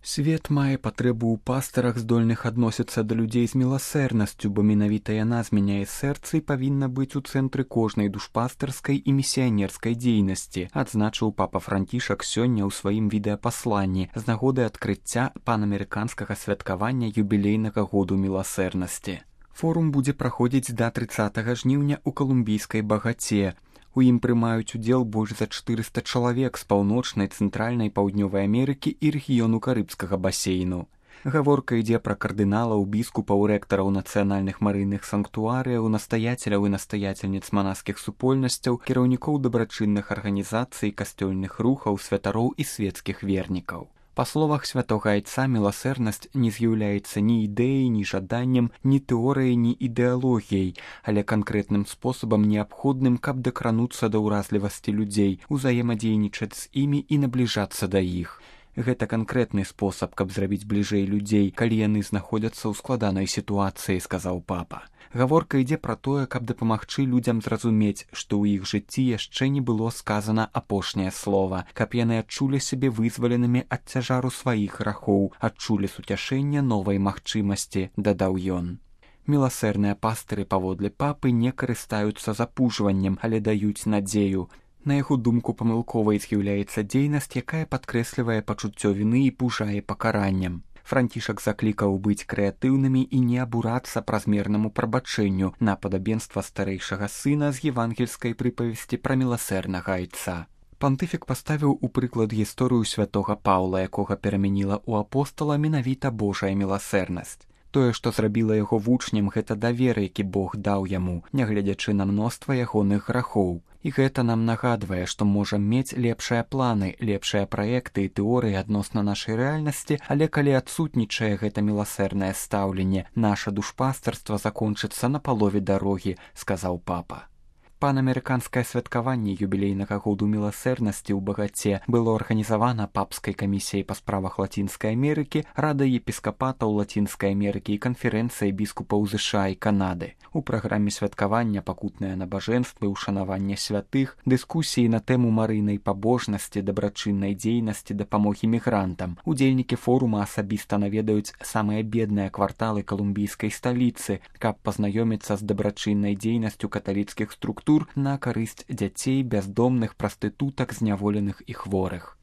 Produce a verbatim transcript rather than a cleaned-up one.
Свет мае патрэбу ў пастарах, здольных адносіцца да людзей з міласэрнасцю, бо менавіта яна змяняе сэрца і павінна быць у цэнтры кожнай душпастарскай і місіянерскай дзейнасці, адзначыў папа Францішак сёння ў сваім відэапасланні з нагоды адкрыцця панамерыканскага святкавання юбілейнага году міласэрнасці. Форум будзе праходзіць да трыццатага жніўня ў калумбійскай Багаце. У ім прымаюць удзел больш за чатырыста чалавек з паўночнай, цэнтральнай, паўднёвай Амерыкі і рэгіёну карыбскага басейну. Гаворка ідзе пра кардыналаў, біскупаў, рэктараў нацыянальных марыйных санктуарыяў, настаяцеляў і настаяцельніц манаскіх супольнасцяў, кіраўнікоў дабрачынных арганізацый, касцёльных рухаў, святароў і свецкіх вернікаў. Па словах святога айца, міласэрнасць не з'яўляецца ні ідэяй, ні жаданнем, ні тэорыяй, ні ідэалогіяй, але канкрэтным спосабам неабходным, каб дакрануцца да ўразлівасці людзей, узаемадзейнічаць з імі і набліжацца да іх. Гэта канкрэтны спосаб, каб зрабіць бліжэй людзей, калі яны знаходзяцца ў складанай сітуацыі, сказаў папа. Гаворка ідзе пра тое, каб дапамагчы людзям зразумець, што ў іх жыцці яшчэ не было сказана апошняе слова, каб яны адчулі сябе вызваленымі ад цяжару сваіх грахоў, адчулі суцяшэнне новай магчымасці, дадаў ён. Міласэрныя пастыры, паводле папы, не карыстаюцца запужваннем, але даюць надзею. На яго думку, памылковай з'яўляецца дзейнасць, якая падкрэслівае пачуццё віны і пужае пакараннем. Францішак заклікаў быць крэатыўнымі і не абурацца празмернаму прабачэнню на падабенства старэйшага сына з евангельскай прыпавесці пра міласэрнага айца. Пантыфік паставіў у прыклад гісторыю святога Паўла, якога перамяніла ў апостала менавіта Божая міласэрнасць. Тое, што зрабіла яго вучнем, гэта давер, які Бог даў яму, нягледзячы на мноства ягоных грахоў. І гэта нам нагадвае, што можам мець лепшыя планы, лепшыя праекты і тэорыі адносна нашай рэальнасці, але калі адсутнічае гэта міласэрнае стаўленне, наша душпастарства закончыцца на палове дарогі, сказаў папа. Панамерыканскае святкаванне юбілейнага году міласэрнасці ў Багаце было арганізавана папскай камісіяй па справах Лацінскай Амерыкі, радай епіскапатаў Лацінскай Амерыкі і канферэнцыяй біскупаў ЗША і Канады. У праграме святкавання пакутныя набажэнствы, ушанаванне святых, дыскусіі на тэму марыйнай пабожнасці, дабрачыннай дзейнасці, дапамогі мігрантам. Удзельнікі форума асабіста наведаюць самыя бедныя кварталы калумбійскай сталіцы, каб пазнаёміцца з дабрачыннай дзейнасцю каталіцкіх структур на карысць дзяцей, бяздомных, прастытутак, зняволеных і хворых.